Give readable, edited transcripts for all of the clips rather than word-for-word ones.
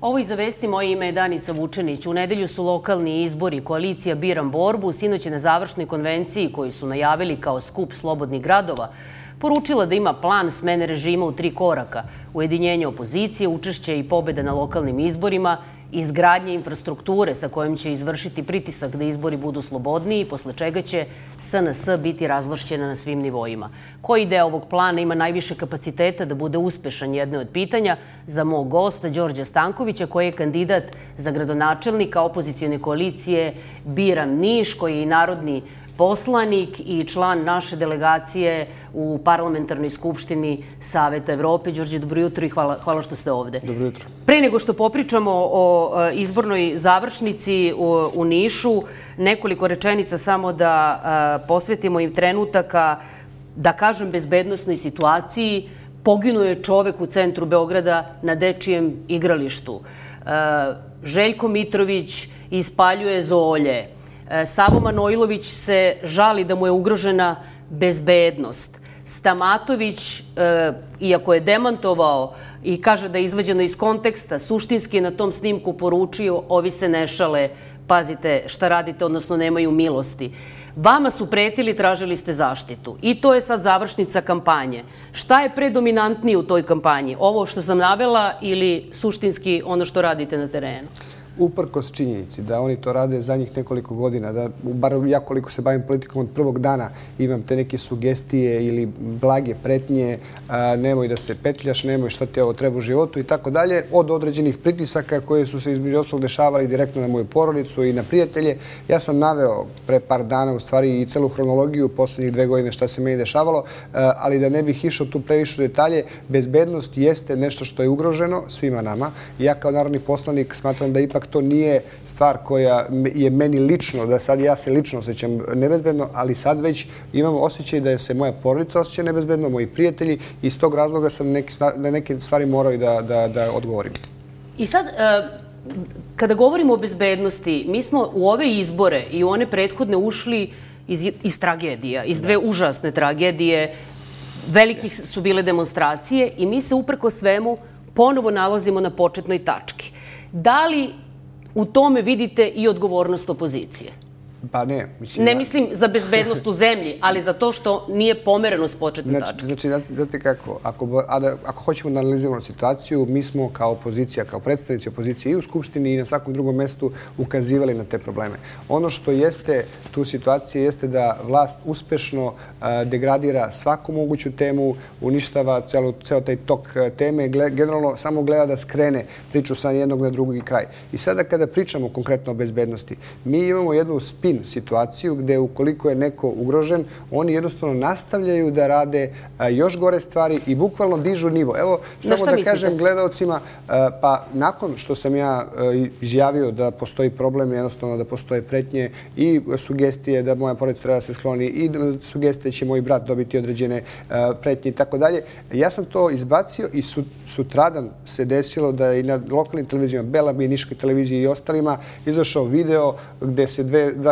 Ovo iza vesti, moje ime je Danica Vučenić. U nedelju su lokalni izbori. Koalicija Biram borbu sinoć je na završnoj konvenciji koju su najavili kao skup slobodnih gradova poručila da ima plan smene režima u 3 koraka. Ujedinjenje opozicije, učešće i pobjeda na lokalnim izborima, izgradnje infrastrukture sa kojom će izvršiti pritisak da izbori budu slobodniji, posle čega će SNS biti razvlašćena na svim nivoima. Koji deo ovog plana ima najviše kapaciteta da bude uspešan, jedno od pitanja za mog gosta Đorđa Stankovića, koji je kandidat za gradonačelnika opozicione koalicije Biram Niš, koji je i narodni poslanik i član naše delegacije u Parlamentarnoj skupštini Saveta Evrope. Đorđe, dobro jutro i hvala što ste ovde. Dobro jutro. Pre nego što popričamo o izbornoj završnici u Nišu, nekoliko rečenica samo da posvetimo im trenutaka, da kažem, bezbednosnoj situaciji. Poginuo je čovek u centru Beograda na dečijem igralištu. Željko Mitrović ispaljuje zolje. Savo Manojlović se žali da mu je ugrožena bezbednost. Stamatović, iako je demantovao i kaže da je izvađeno iz konteksta, suštinski je na tom snimku poručio: ovi se ne šale, pazite šta radite, odnosno nemaju milosti. Vama su pretili, tražili ste zaštitu. I to je sad završnica kampanje. Šta je predominantnije u toj kampanji? Ovo što sam navela ili suštinski ono što radite na terenu? Uprkos činjenici da oni to rade zadnjih nekoliko godina, da bar ja koliko se bavim politikom od prvog dana imam te neke sugestije ili blage pretnje, nemoj da se petljaš, nemoj šta ti ovo treba u životu i tako dalje, od određenih pritisaka koje su se između ostalog dešavali direktno na moju porodicu i na prijatelje. Ja sam naveo pre par dana u stvari i celu hronologiju poslednjih 2 godine šta se meni dešavalo, ali da ne bih išao tu previše u detalje, bezbednost jeste nešto što je ugroženo svima nama. Ja kao narodni poslanik smatram da ipak to nije stvar koja je meni lično, da sad ja se lično osjećam nebezbedno, ali sad već imam osjećaj da se moja porodica osjeća nebezbedno, moji prijatelji, i iz tog razloga sam na neke stvari morao i da odgovorim. I sad, kada govorimo o bezbednosti, mi smo u ove izbore i u one prethodne ušli iz tragedija, iz 2 užasne tragedije, velikih su bile demonstracije i mi se uprko svemu ponovo nalazimo na početnoj tački. Da li u tome vidite i odgovornost opozicije? Pa ne. Ne mislim za bezbednost u zemlji, ali za to što nije pomereno s početne tačke. Znači, znate kako, ako hoćemo da analiziramo situaciju, mi smo kao opozicija, kao predstavnici opozicije i u Skupštini i na svakom drugom mestu ukazivali na te probleme. Ono što jeste tu situacija jeste da vlast uspešno degradira svaku moguću temu, uništava ceo taj tok teme, generalno samo gleda da skrene priču sa jednog na drugi kraj. I sada kada pričamo konkretno o bezbednosti, mi imamo jednu situaciju gde ukoliko je neko ugrožen, oni jednostavno nastavljaju da rade još gore stvari i bukvalno dižu nivo. Evo, samo da kažem gledalcima, pa nakon što sam ja izjavio da postoji problem, jednostavno da postoje pretnje i sugestije da moja porodica treba da se skloni i sugestije da će moj brat dobiti određene pretnje i tako dalje, ja sam to izbacio i sutradan se desilo da i na lokalnim televizijama, Belami, Niškoj televiziji i ostalima, izašao video gde se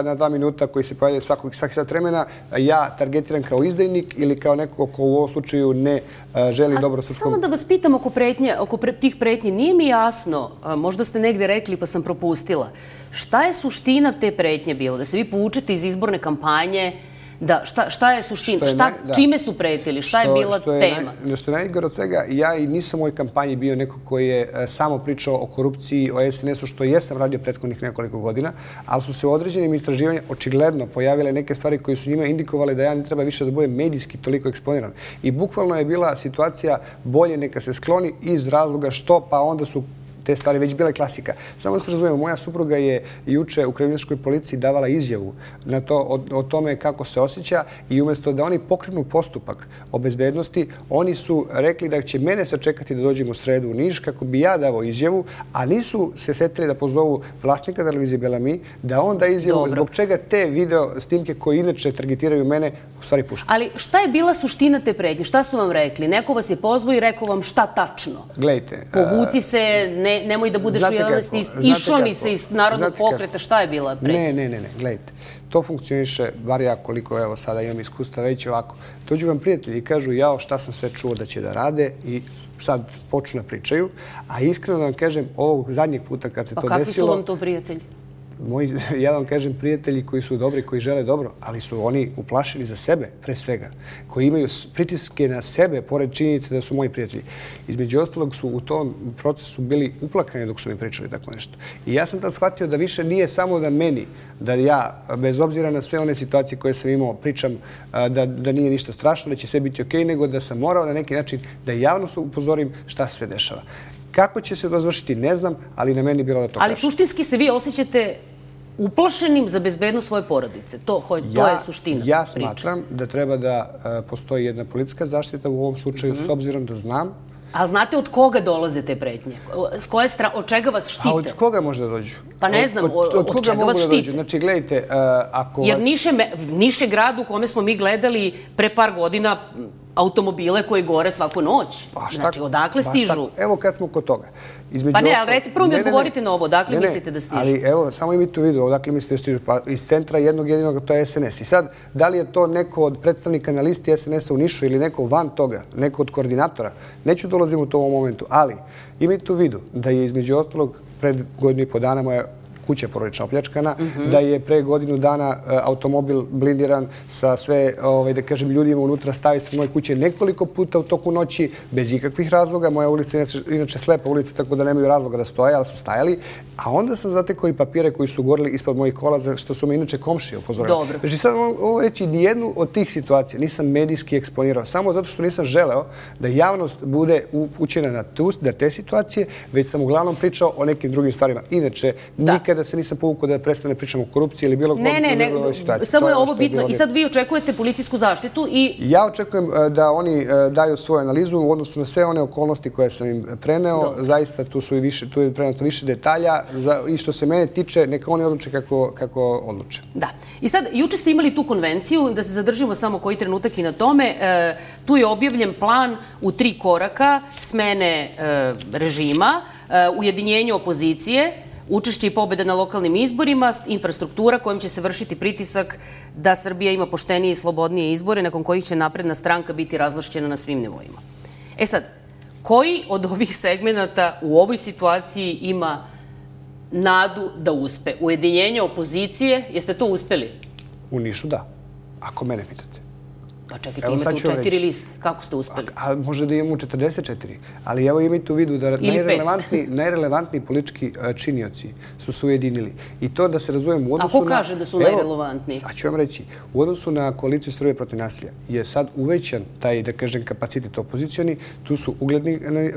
na 2 minuta koji se pojavljaju svaki sat vremena, ja targetiram kao izdajnik ili kao neko ko u ovom slučaju ne želi dobro srpskom... Samo da vas pitam oko tih pretnji, nije mi jasno, možda ste negde rekli pa sam propustila, šta je suština te pretnje bilo? Da se vi poučite iz izborne kampanje, šta je suština? Čime su pretili? Šta je bila tema? Što je najgore od svega, ja i nisam u ovoj kampanji bio neko koji je samo pričao o korupciji, o SNS-u, što jesam radio prethodnih nekoliko godina, ali su se u određenim istraživanjima očigledno pojavile neke stvari koje su njima indikovali da ja ne treba više da budem medijski toliko eksponiran. I bukvalno je bila situacija bolje neka se skloni iz razloga što, pa onda su te stvari već bile klasika. Samo se razumijemo, moja supruga je juče u kriminalističkoj policiji davala izjavu na to, o tome kako se osjeća i umjesto da oni pokrenu postupak o bezbednosti, oni su rekli da će mene sačekati da dođem u sredu u Niš kako bi ja davao izjavu, a nisu se setili da pozovu vlasnika televizije Belami, da on da izjavu zbog čega te video snimke koje inače targetiraju mene u stvari pušta. Ali šta je bila suština te pretnje? Šta su vam rekli? Neko vas je pozvao i rekao vam šta tačno? Gledajte. Povuci se, nemoj da budeš u javnosti, išao ni se iz Narodnog pokreta, šta je bila pretnja? Ne, gledajte. To funkcioniše, bar ja koliko evo sada imam iskustva, već ovako. Dođu vam prijatelji i kažu jao šta sam sve čuo da će da rade i sad počnu da pričaju, a iskreno da vam kažem ovog zadnjeg puta kad se to desilo... Pa kakvi su vam to prijatelji? Ja vam kažem prijatelji koji su dobri, koji žele dobro, ali su oni uplašili za sebe, pre svega, koji imaju pritiske na sebe, pored činjenice da su moji prijatelji. Između ostalog su u tom procesu bili uplakani dok su mi pričali tako nešto. I ja sam tad shvatio da više nije samo da meni, da ja, bez obzira na sve one situacije koje sam imao, pričam da nije ništa strašno, da će sve biti okej, nego da sam morao na neki način da javno upozorim šta se sve dešava. Kako će se to završiti, ne znam, ali na meni bilo da to kažem. Ali suštinski se vi osjećate uplašenim za bezbednost svoje porodice. To je suština priče. Ja smatram da treba da postoji jedna policijska zaštita u ovom slučaju, s obzirom da znam. A znate od koga dolaze te pretnje? Od čega vas štite? A od koga može da dođu? Pa ne znam, od čega vas štite? Znači, gledajte, ako vas... Jer Niš je grad u kome smo mi gledali pre par godina automobile koji gore svaku noć. Znači, odakle stižu? Evo kad smo kod toga. Pa ne, ali prvo mi odgovorite na ovo. Odakle mislite da stižu? Ali evo, samo imajte u vidu, odakle mislite da stižu. Pa iz centra jednog jedinog, to je SNS. I sad, da li je to neko od predstavnika na listi SNS-a u Nišu ili neko van toga, neko od koordinatora, neću dolazim u to u ovom momentu, ali imajte u vidu da je između ostalog pred godinu i po dana moja kuća porodična opljačkana, da je pre godinu dana automobil blindiran sa sve, da kažem, ljudima unutra stavio ispred moje kuće nekoliko puta u toku noći, bez ikakvih razloga. Moja ulica je inače slepa ulica, tako da nemaju razloga da stoje, ali su stajali. A onda sam zatekao i papire koji su gorili ispod mojih kola, za što su me inače komšije upozorili. Znači sad ovo reći, nijednu od tih situacija nisam medijski eksponirao, samo zato što nisam želeo da javnost bude upućena na te situacije, već sam uglavnom pričao o nekim drugim stvarima. Inače, nikada se nisam povukao da prestane pričamo o korupciji ili bilo ovoj situaciji. Samo je ovo bitno. I sad vi očekujete policijsku zaštitu i... Ja očekujem da oni daju svoju analizu u odnosu na sve one okolnosti koje sam im preneo. Zaista tu je preneto više detalja i što se mene tiče, neka oni odluče kako odluče. Da. I sad, juče ste imali tu konvenciju, da se zadržimo samo koji trenutak i na tome. Tu je objavljen plan u 3 koraka smene režima, ujedinjenje opozicije, učešće i pobjeda na lokalnim izborima, infrastruktura kojom će se vršiti pritisak da Srbija ima poštenije i slobodnije izbore, nakon kojih će napredna stranka biti razvlašćena na svim nivoima. E sad, koji od ovih segmenata u ovoj situaciji ima nadu da uspe? Ujedinjenje opozicije, jeste to uspeli? U Nišu da, ako mene pitate. Pa čekajte, imate u 4 liste. Kako ste uspeli? A može da imamo u 44. Ali evo imajte u vidu da najrelevantniji politički činioci su se ujedinili. I to da se razumemo u odnosu na... A ko kaže da su najrelevantniji? Sad ću vam reći. U odnosu na koaliciju Srbije protiv nasilja je sad uvećan taj, da kažem, kapacitet opozicioni. Tu su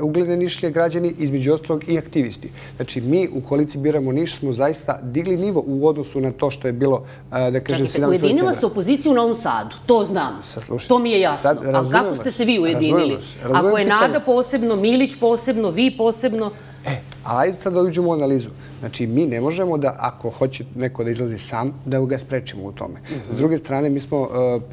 ugledne nišlje građani, između ostalog i aktivisti. Znači, mi u koaliciji Biramo Niš smo zaista digli nivo u odnosu na to što je bilo, da kažem, 17. Čekajte, ujedinila se opozicija u Novom Sadu. To znam. To mi je jasno. Ali kako ste se vi ujedinili? Ako je Nada posebno, Milić posebno, vi posebno... Ali ajde sad da uđemo u analizu. Znači, mi ne možemo da, ako hoće neko da izlazi sam, da ga sprečimo u tome. S druge strane, mi smo,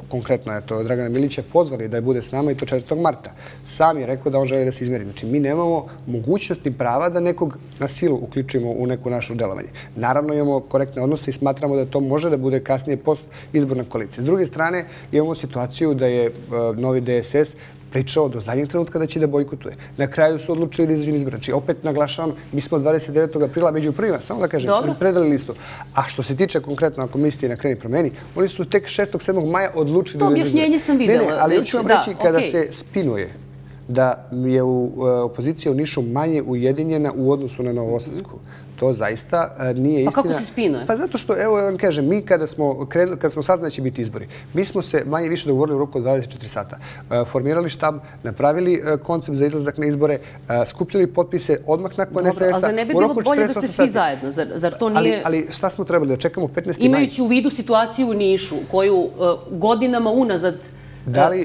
konkretno, Dragana Milića pozvali da bude s nama i to 4. marta. Sam je rekao da on želi da se izmeri. Znači, mi nemamo mogućnosti prava da nekog na silu uključimo u neku našu delovanje. Naravno, imamo korektne odnose i smatramo da to može da bude kasnije post izborna koalicija. S druge strane, imamo situaciju da je novi DSS pričao do zadnjeg trenutka da će da bojkotuje. Na kraju su odlučili da izađu na izbore. Znači, opet naglašavam, mi smo 29. aprila među prvima, samo da kažem, predali listu. A što se tiče konkretno, ako mislite na Kreni promeni, oni su tek 6. 7. maja odlučili... To objašnjenje sam videla. Ne, ali hoću vam reći kada se spinuje da je opozicija u Nišu manje ujedinjena u odnosu na Novosadsku. To zaista nije istina. Pa kako se spinuje? Pa zato što, evo vam kažem, mi kada smo saznali da će biti izbori, mi smo se manje više dogovorili u roku od 24 sata. Formirali štab, napravili koncept za izlazak na izbore, skupljali potpise odmah nakon SNS-a. Dobro, ali zar ne bi bilo bolje da ste svi zajedno? Zar to nije... Ali šta smo trebali? Da čekamo 15. maj? Imajući u vidu situaciju u Nišu, koju godinama unazad...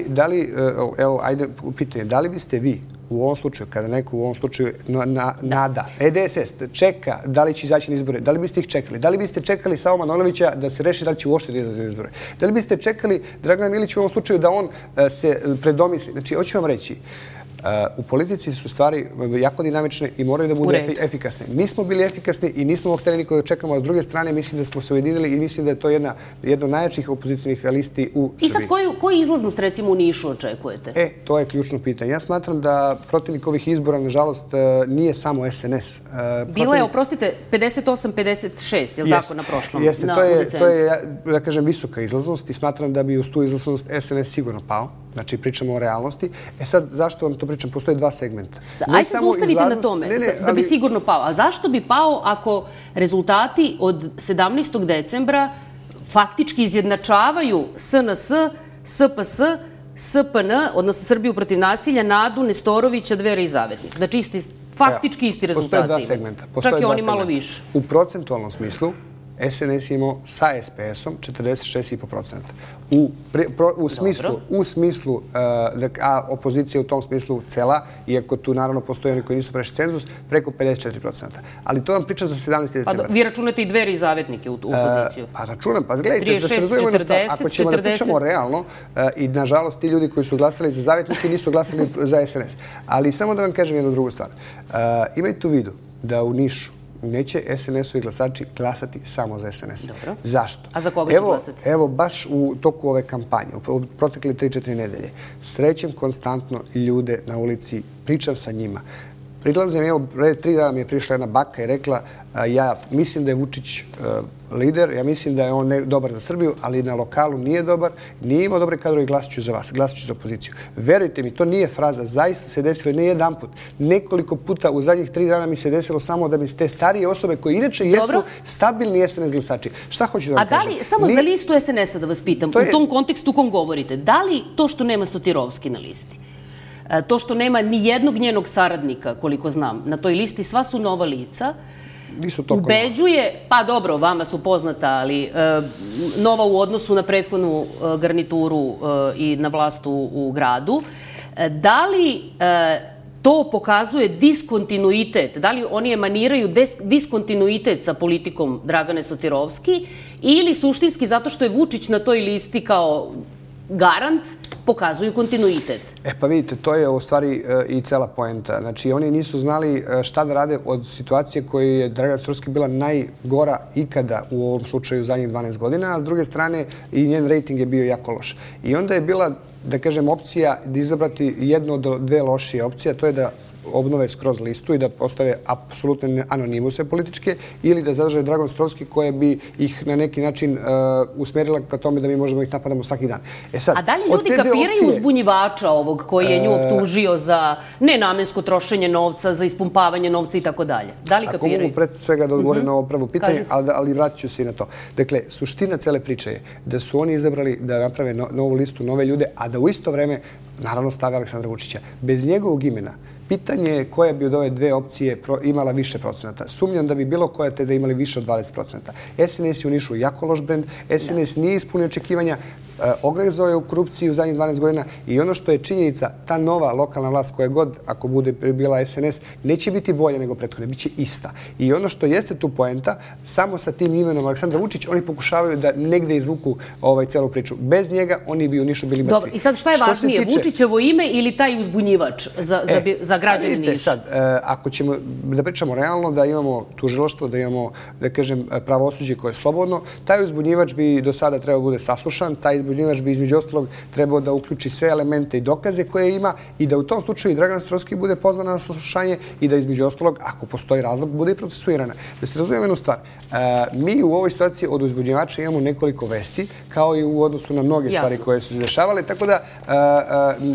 Da li, evo, ajde pitanje, da li biste vi u ovom slučaju, kada neko u ovom slučaju Nada, DSS, čeka da li će izaći na izbore, da li biste ih čekali? Da li biste čekali Savo Manojlovića da se reši da li će uopšte da izaći na izbore? Da li biste čekali Dragana Milića u ovom slučaju da on se predomisli? Znači, hoću vam reći, U politici su stvari jako dinamične i moraju da budu efikasne. Mi smo bili efikasni i nismo hteli nikoga čekamo, a s druge strane mislim da smo se ujedinili i mislim da je to jedna od najjačih opozicijnih listi u Srbiji. I sad koju izlaznost recimo u Nišu očekujete? To je ključno pitanje. Ja smatram da protivnik ovih izbora, nažalost, nije samo SNS. Bila je, oprostite, 58-56, je li tako, na prošlom? Jeste, to je, da kažem, visoka izlaznost i smatram da bi uz tu izlaznost SNS sigurno pao. Znači, pričamo o realnosti. Sad, zašto vam to pričam? Postoje dva segmenta. Ajde se zaustavite na tome, da bi sigurno pao. A zašto bi pao ako rezultati od 17. decembra faktički izjednačavaju SNS, SPS, SPN, odnosno Srbiju protiv nasilja, Nadu, Nestorovića, Dveri i Zavetnik? Znači, faktički isti rezultati. Postoje dva segmenta. Čak i oni malo više. U procentualnom smislu, SNS imao sa SPS-om 46,5%. U smislu, a opozicija u tom smislu cela, iako tu naravno postoje oni koji nisu prešli cenzus, preko 54%. Ali to vam pričam za 17. decembra. Vi računate i Dveri i Zavetnike u opoziciju? Pa računam, pa gledajte, da se razumemo jednu stvar. Ako ćemo da pričamo realno, i nažalost ti ljudi koji su glasali za Zavetnike nisu glasali za SNS. Ali samo da vam kažem jednu drugu stvar. Imajte u vidu da u Nišu neće SNS-ovi glasači glasati samo za SNS. Dobro. Zašto? A za koga će glasati? Evo, baš u toku ove kampanje, u protekle 3-4 nedelje, srećem konstantno ljude na ulici, pričam sa njima. Prilazim, evo, pre 3 dana mi je prišla jedna baka i rekla ja mislim da je Vučić lider, ja mislim da je on dobar za Srbiju, ali na lokalu nije dobar, nije imao dobre kadrove i glasit ću za vas, glasit ću za opoziciju. Verujte mi, to nije fraza, zaista se desilo ne jedan put. Nekoliko puta u zadnjih 3 dana mi se desilo samo da mi te starije osobe koje inače jesu stabilni SNS glasači. Šta hoću da vam kažem? A da li, samo za listu SNS-a da vas pitam, u tom kontekstu u kom govorite, da li to što nema Sotirovski na listi, to što nema ni jednog njenog saradnika, koliko znam, na toj listi, sva su nova lica, ubeđuje, pa dobro, vama su poznata, ali nova u odnosu na prethodnu garnituru i na vlast u gradu, da li to pokazuje diskontinuitet, da li oni emaniraju diskontinuitet sa politikom Dragane Sotirovski ili suštinski zato što je Vučić na toj listi kao garant pokazuju kontinuitet? Pa vidite, to je u stvari i cela poenta. Znači, oni nisu znali šta da rade od situacije koja je Dragana Sotirovski bila najgora ikada u ovom slučaju zadnjih 12 godina, a s druge strane i njen rejting je bio jako loš. I onda je bila, da kažem, opcija da izabrati jednu od dve lošije opcije, a to je da obnove skroz listu i da postave apsolutne anonimuse političke ili da zadrže Draganu Sotirovski koja bi ih na neki način usmerila ka tome da mi možemo ih napadamo svaki dan. A da li ljudi kapiraju uzbunjivača ovog koji je nju optužio za nenamensko trošenje novca, za ispumpavanje novca i tako dalje? Da li kapiraju? Ako mogu pred svega da odgovorim na ovo prvo pitanje, ali vratit ću se i na to. Dakle, suština cele priče je da su oni izabrali da naprave novu listu, nove ljude, a da u isto vreme naravno stave Aleksandra Vučića. Bez njegovog imena pitanje je koja bi od ove dve opcije imala više procenata. Sumnjam da bi bilo koja te da imali više od 20%. SNS je u Nišu jako loš brend, SNS nije ispunio očekivanja, ogrezao je u korupciji u zadnjih 12 godina i ono što je činjenica, ta nova lokalna vlast koja god, ako bude bila SNS, neće biti bolja nego prethodne, bit će ista. I ono što jeste tu poenta, samo sa tim imenom Aleksandra Vučić, oni pokušavaju da negde izvuku celu priču. Bez njega oni bi u Nišu bili mrtvi. Dobro, i sad šta je važnije, Vučićevo ime ili taj uzbunjivač za građane Niša? Sad, ako ćemo da pričamo realno, da imamo tužilaštvo, da imamo, da kažem, pravosuđe koje je slobodno, taj uzbunjivač bi do sada trebao bude saslušan, taj uzbunjivač bi između ostalog trebao da uključi sve elemente i dokaze koje ima i da u tom slučaju i Dragana Sotirovski bude pozvana na saslušanje i da između ostalog, ako postoji razlog, bude i procesuirana. Da se razumijemo jednu stvar. Mi u ovoj situaciji od uzbunjivača imamo nekoliko vesti, kao i u odnosu na mnoge stvari koje su se dešavale, tako da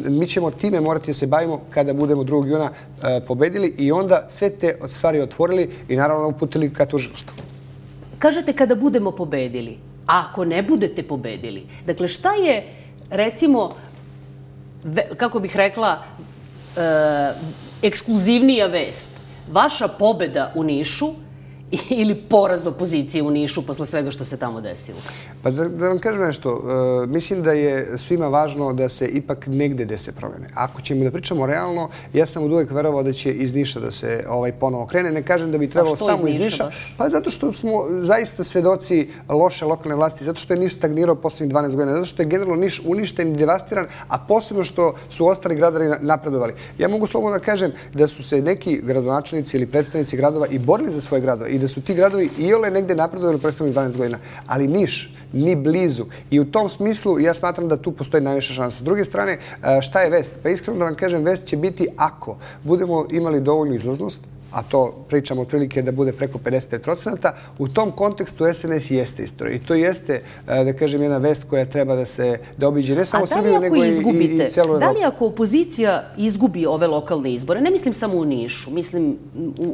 mi ćemo time morati da se bavimo kada budemo 2. juna pobedili i onda sve te stvari otvorili i naravno uputili ka tužilaštvu. Kažete kada budemo pobedili. A ako ne budete pobedili, dakle šta je, recimo, kako bih rekla, ekskluzivnija vest? Vaša pobeda u Nišu ili poraz opozicije u Nišu posle svega što se tamo desilo? Pa da vam kažem nešto, mislim da je svima važno da se ipak negde dese promene. Ako ćemo da pričamo realno, ja sam od uvek verovao da će iz Niša da se ponovo krene. Ne kažem da bi trebalo samo iz Niša. Pa zato što smo zaista svedoci loše lokalne vlasti, zato što je Niš stagnirao poslednjih 12 godina, zato što je generalno Niš uništen i devastiran, a posebno što su ostali gradovi napredovali. Ja mogu slobodno da kažem da su se neki gradonačelnici ili predstavnici gradova i borili za svoje gradove i da su ti gradovi iole negde napredovali u prethodnih 12 godina. Ali Niš ni blizu. I u tom smislu ja smatram da tu postoji najviša šansa. S druge strane, šta je vest? Pa iskreno da vam kažem, vest će biti ako budemo imali dovoljnu izlaznost, a to pričamo otprilike da bude preko 55%, u tom kontekstu SNS jeste istorija. I to jeste, da kažem, jedna vest koja treba da obiđe ne samo Srbiju, nego i celu Evropu. Da li ako opozicija izgubi ove lokalne izbore, ne mislim samo u Nišu, mislim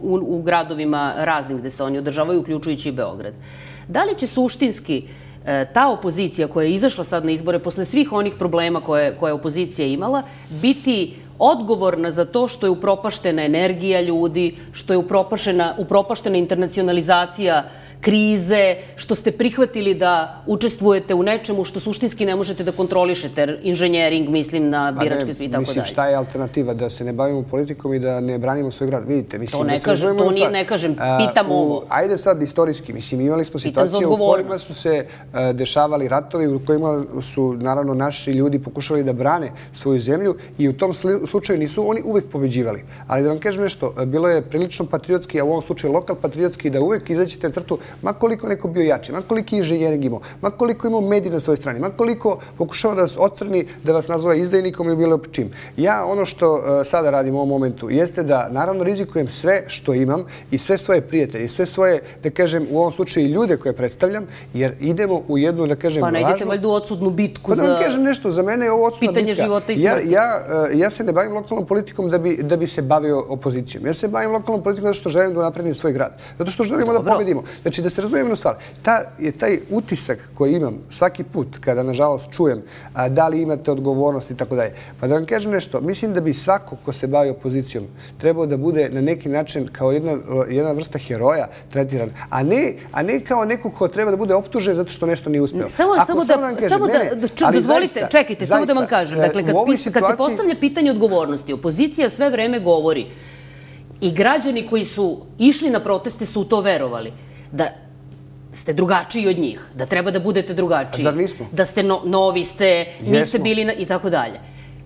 u gradovima raznih gde se oni održavaju, uključujući i Beograd, da li će suštinski ta opozicija koja je izašla sad na izbore posle svih onih problema koje je opozicija imala, biti odgovorna za to što je upropaštena energija ljudi, što je upropaštena internacionalizacija krize, što ste prihvatili da učestvujete u nečemu što suštinski ne možete da kontrolišete, inženjering, mislim na biračke svi i tako dalje. Mislim, šta je alternativa? Da se ne bavimo politikom i da ne branimo svoj grad? Vidite, mislim... To ne kažem, pitam ovo. Ajde sad istorijski, mislim, imali smo situacije u kojima su se dešavali ratovi, u kojima su, naravno, naši ljudi pokušali da brane svoju zemlju i u tom slučaju nisu oni uvek pobeđivali. Ali da vam kažem nešto, bilo je prilično patriotski, a u ovom slučaju lokal patriotski, da uvek izađete na crtu, ma koliko neko bio jači, ma koliki inženjering imao, ma koliko imao medij na svojoj strani, ma koliko pokušava da vas ocrni, da vas nazove izdajnikom ili bilo čim. Ja ono što sada radim u ovom momentu jeste da naravno rizikujem sve što imam i sve svoje prijatelje i sve svoje, da kažem, u ovom slučaju ljude koje predstavljam, jer idemo u jednu, da kažem, važnu... Pa ne idete valjda u odsudnu bitku za... Pa da vam kažem nešto, za mene je ovo odsudna bitka. Pitanje života i smrti. Ja se ne bavim lokalnom politikom da bi se bavio opozicijom. Ja se bavim lokalnom politikom zato što želim da napredim svoj grad. Zato što želimo da pobedimo. Znači, da se razumijemo jednu stvar. Taj utisak koji imam svaki put kada, nažalost, čujem da li imate odgovornost i tako dalje. Pa da vam kažem nešto, mislim da bi svako ko se bavi opozicijom trebao da bude na neki način kao jedna vrsta heroja tretiran, a ne kao neko ko treba da bude optužen zato što nešto nije uspeo. Dozvolite, čekajte, samo da vam kažem. Dakle, kad se postavlja pitanje odgovornosti, opozicija sve vreme govori i građani koji su išli na proteste su u to verovali, da ste drugačiji od njih, da treba da budete drugačiji. Zar nismo? Da ste novi ste, niste bili i tako dalje.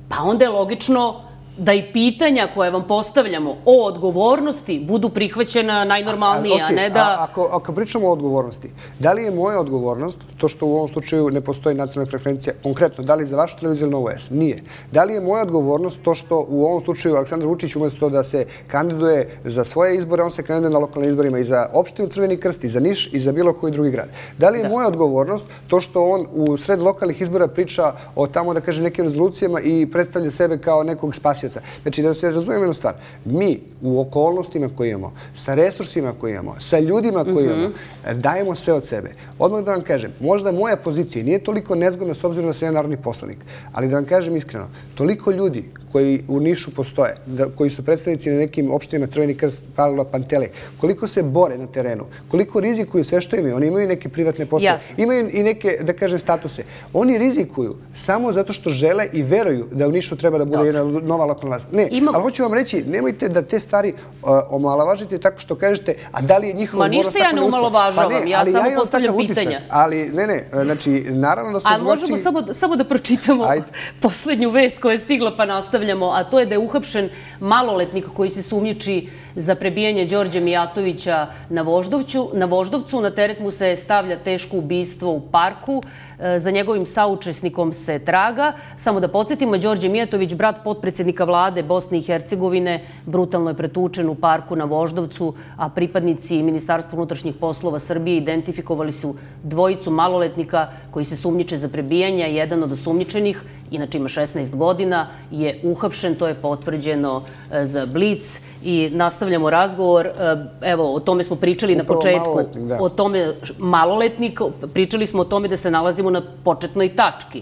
Pa onda je logično da i pitanja koje vam postavljamo o odgovornosti budu prihvaćena najnormalnije, a ne da... Ako pričamo o odgovornosti, da li je moja odgovornost to što u ovom slučaju ne postoji nacionalna frekvencija, konkretno, da li za vašu televiziju ili Novu S? Nije. Da li je moja odgovornost to što u ovom slučaju Aleksandar Vučić umesto da se kandiduje za svoje izbore, on se kandiduje na lokalnim izborima i za opštinu Crveni Krst, i za Niš, i za bilo koji drugi grad? Da li je moja odgovornost to što on u sred lokalnih izbora priča o tamo, da kažem, nekim rezolucijama i predstavlja sebe kao nekog spasioca? Znači, da se razumijemo jednu stvar. Mi u okolnostima koje imamo, sa resursima koje imamo, sa ljudima koje imamo, dajemo sve od sebe. Odmah da vam kažem, možda moja pozicija nije toliko nezgodna s obzirom da sam ja narodni poslanik, ali da vam kažem iskreno, toliko ljudi koji u Nišu postoje, koji su predstavnici na nekim opštinama Crveni Krst, Palilula, Pantelej, koliko se bore na terenu, koliko rizikuju sve što imaju. Oni imaju neke privatne poslove, imaju i neke, da kažem, statuse. Oni rizikuju samo zato što žele i veruju da u Nišu treba da bude jedna nova lokalna vlast. Ne, ali hoću vam reći, nemojte da te stvari omalovažite tako što kažete, a da li je njihova odgovornost tako neuspela? Ma ništa ja ne omalovažavam, ja samo postavljam pitanja. Ali ne, znači, naravno da smo drugačiji... Ali možemo samo da pročitamo poslednju vest koja je stigla pa nastavljamo, a to je da je uhapšen maloletnik koji se sumnjiči za prebijanje Đorđa Mijatovića na Voždovcu. Na teret mu se stavlja teško ubistvo u parku. Za njegovim saučesnikom se traga. Samo da podsjetimo, Đorđe Mijatović, brat potpredsednika vlade Bosne i Hercegovine, brutalno je pretučen u parku na Voždovcu, a pripadnici Ministarstva unutrašnjih poslova Srbije identifikovali su dvojicu maloletnika koji se sumnjiče za prebijanje. Jedan od osumnjičenih, inače ima 16 godina, je uhapšen, to je potvrđeno za Blic i nastavljamo razgovor. Evo, o tome smo pričali na početku. O tome maloletnik, pričali smo o tome da se nalazimo na početnoj tački.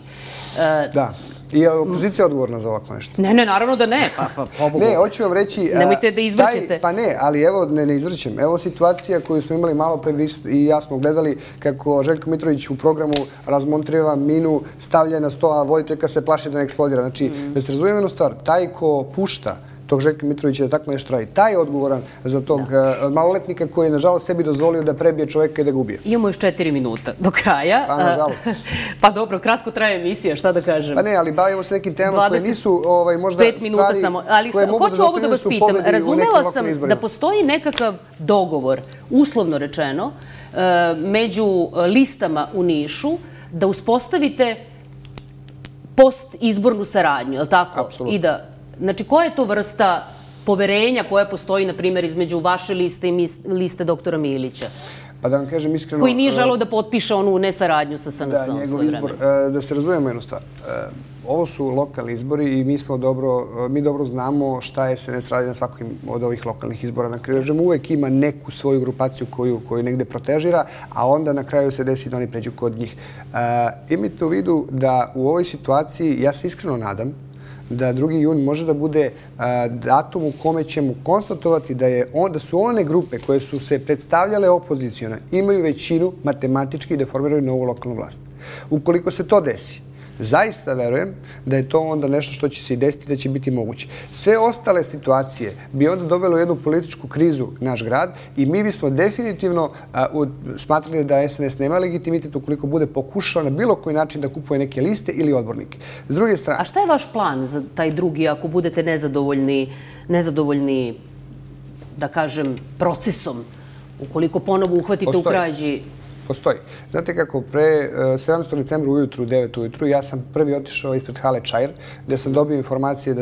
Da. I je opozicija odgovorna za ovako nešto? Ne, naravno da ne. Pa, pobogu. Ne, hoću vam reći... Nemojte da izvrćete. Pa ne, ali evo, ne izvrćem. Evo situacija koju smo imali malo pre i ja smo gledali kako Željko Mitrović u programu razmontriva minu, stavlja na sto, a voditeljka se plaši da ne eksplodira. Znači, da se razumijem jednu stvar, taj ko pušta tog Željka Mitrovića da tako nešto radi, taj je odgovoran za tog maloletnika koji je, nažalost, sebi dozvolio da prebije čoveka i da ga ubije. Imamo još 4 minuta do kraja. Pa, nažalost. Pa dobro, kratko traje emisija, šta da kažem. Pa ne, ali bavimo se nekim temama koje nisu možda 5 minuta samo. Ali hoću ovo da vas pitam. Razumela sam da postoji nekakav dogovor, uslovno rečeno, među listama u Nišu, da uspostavite post-izbornu saradnju, je li tako? Apsolutno. Znači, koja je to vrsta poverenja koja postoji, na primjer, između vaše liste i liste doktora Milića? Pa da vam kažem iskreno... Koji nije želeo da potpiše onu nesaradnju sa SNS-om da, njegov izbor. Da se razumemo jednu stvar. Ovo su lokalni izbori i mi dobro znamo šta SNS radi na svakom od ovih lokalnih izbora. Na kraju uvek ima neku svoju grupaciju koju negde protežira, a onda na kraju se desi da oni pređu kod njih. Imajte u vidu da u ovoj situaciji, ja se iskreno nadam, da 2. jun može da bude datum u kome ćemo konstatovati da su one grupe koje su se predstavljale opozicijone imaju većinu matematički da formiraju novu lokalnu vlast. Ukoliko se to desi, zaista verujem da je to onda nešto što će se i desiti da će biti moguće. Sve ostale situacije bi onda dovelo jednu političku krizu naš grad i mi bismo definitivno smatrali da SNS nema legitimitet ukoliko bude pokušao na bilo koji način da kupuje neke liste ili odbornike. S druge strane... A šta je vaš plan za taj drugi ako budete nezadovoljni, da kažem, procesom, ukoliko ponovo uhvatite u krađi? Postoji. Znate kako, pre 17. decembra ujutru, 9 ujutru, ja sam prvi otišao ispred hale Čair, gde sam dobio informacije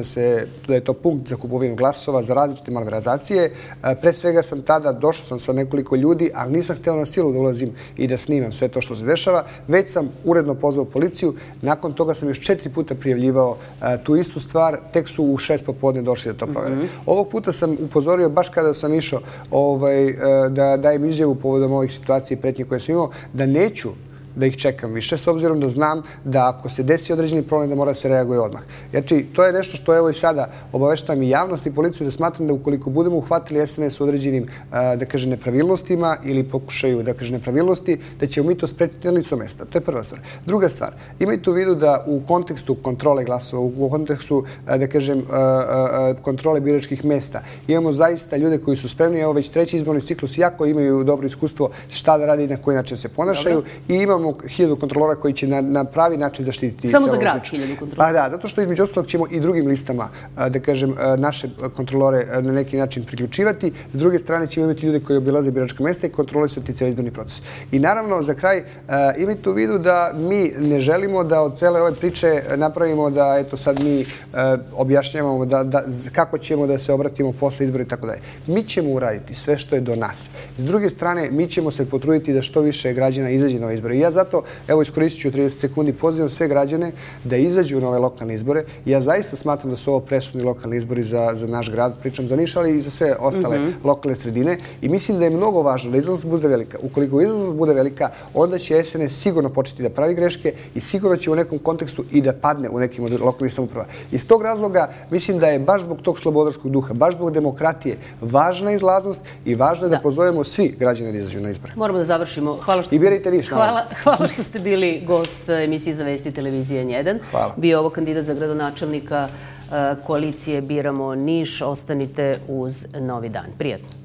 da je to punkt za kupovinu glasova za različite malverzacije. Pre svega došao sam sa nekoliko ljudi, ali nisam hteo na silu da ulazim i da snimam sve to što se dešava. Već sam uredno pozvao policiju. Nakon toga sam još 4 puta prijavljivao tu istu stvar. Tek su u 6 popodne došli da to provere. Ovog puta sam upozorio, baš kada sam išao da dajem izjavu povodom ovih situacija i pretnje koje sam imao, da neću da ih čekam više, s obzirom da znam da ako se desi određeni problem da mora da se reaguje odmah. Znači, to je nešto što evo i sada obaveštavam i javnost i policiju da smatram da ukoliko budemo uhvatili SNS u određenim, da kažem, nepravilnostima ili pokušaju, da kažem, nepravilnosti, da ćemo mi to sprečiti na licu mesta. To je prva stvar. Druga stvar, imajte u vidu da u kontekstu kontrole glasova, u kontekstu, da kažem, kontrole biračkih mesta, imamo zaista ljude koji su spremni, evo već 3. izborni ciklus, jako imaju dobro iskustvo šta da radi i na koji način se ponašaju i imamo 1000 kontrolora koji će na pravi način zaštititi... Samo za grad 1000 kontrolora? Pa da, zato što između ostalog ćemo i drugim listama, da kažem, naše kontrolore na neki način priključivati. S druge strane ćemo imati ljude koji obilaze biračka mesta i kontrolisati cijeli izborni proces. I naravno, za kraj, imajte u vidu da mi ne želimo da od cele ove priče napravimo da, eto, sad mi objašnjavamo kako ćemo da se obratimo posle izbora i tako dalje. Mi ćemo uraditi sve što je do nas. S druge strane, mi ćemo se potruditi da što više građana izađe na ove izbore. Ja zato, evo, iskoristit ću 30 sekundi, pozivam sve građane da izađu na ove lokalne izbore. Ja zaista smatram da su ovo presudni lokalni izbori za naš grad, pričam za Niš, ali i za sve ostale lokalne sredine. I mislim da je mnogo važno da izlaznost bude velika. Ukoliko izlaznost bude velika, onda će SNS sigurno početi da pravi greške i sigurno će u nekom kontekstu i da padne u nekim od lokalnih samouprava. Iz tog razloga mislim da je baš zbog tog slobodarskog duha, baš zbog demokratije važna izlaznost i važno je da pozovemo svi građane da izađu na izbore. Moramo da završimo. I birajte Niš. Hvala što ste bili gost emisije Za vesti televizije N1. Bio ovo kandidat za gradonačelnika koalicije Biramo Niš. Ostanite uz Novi dan. Prijatno.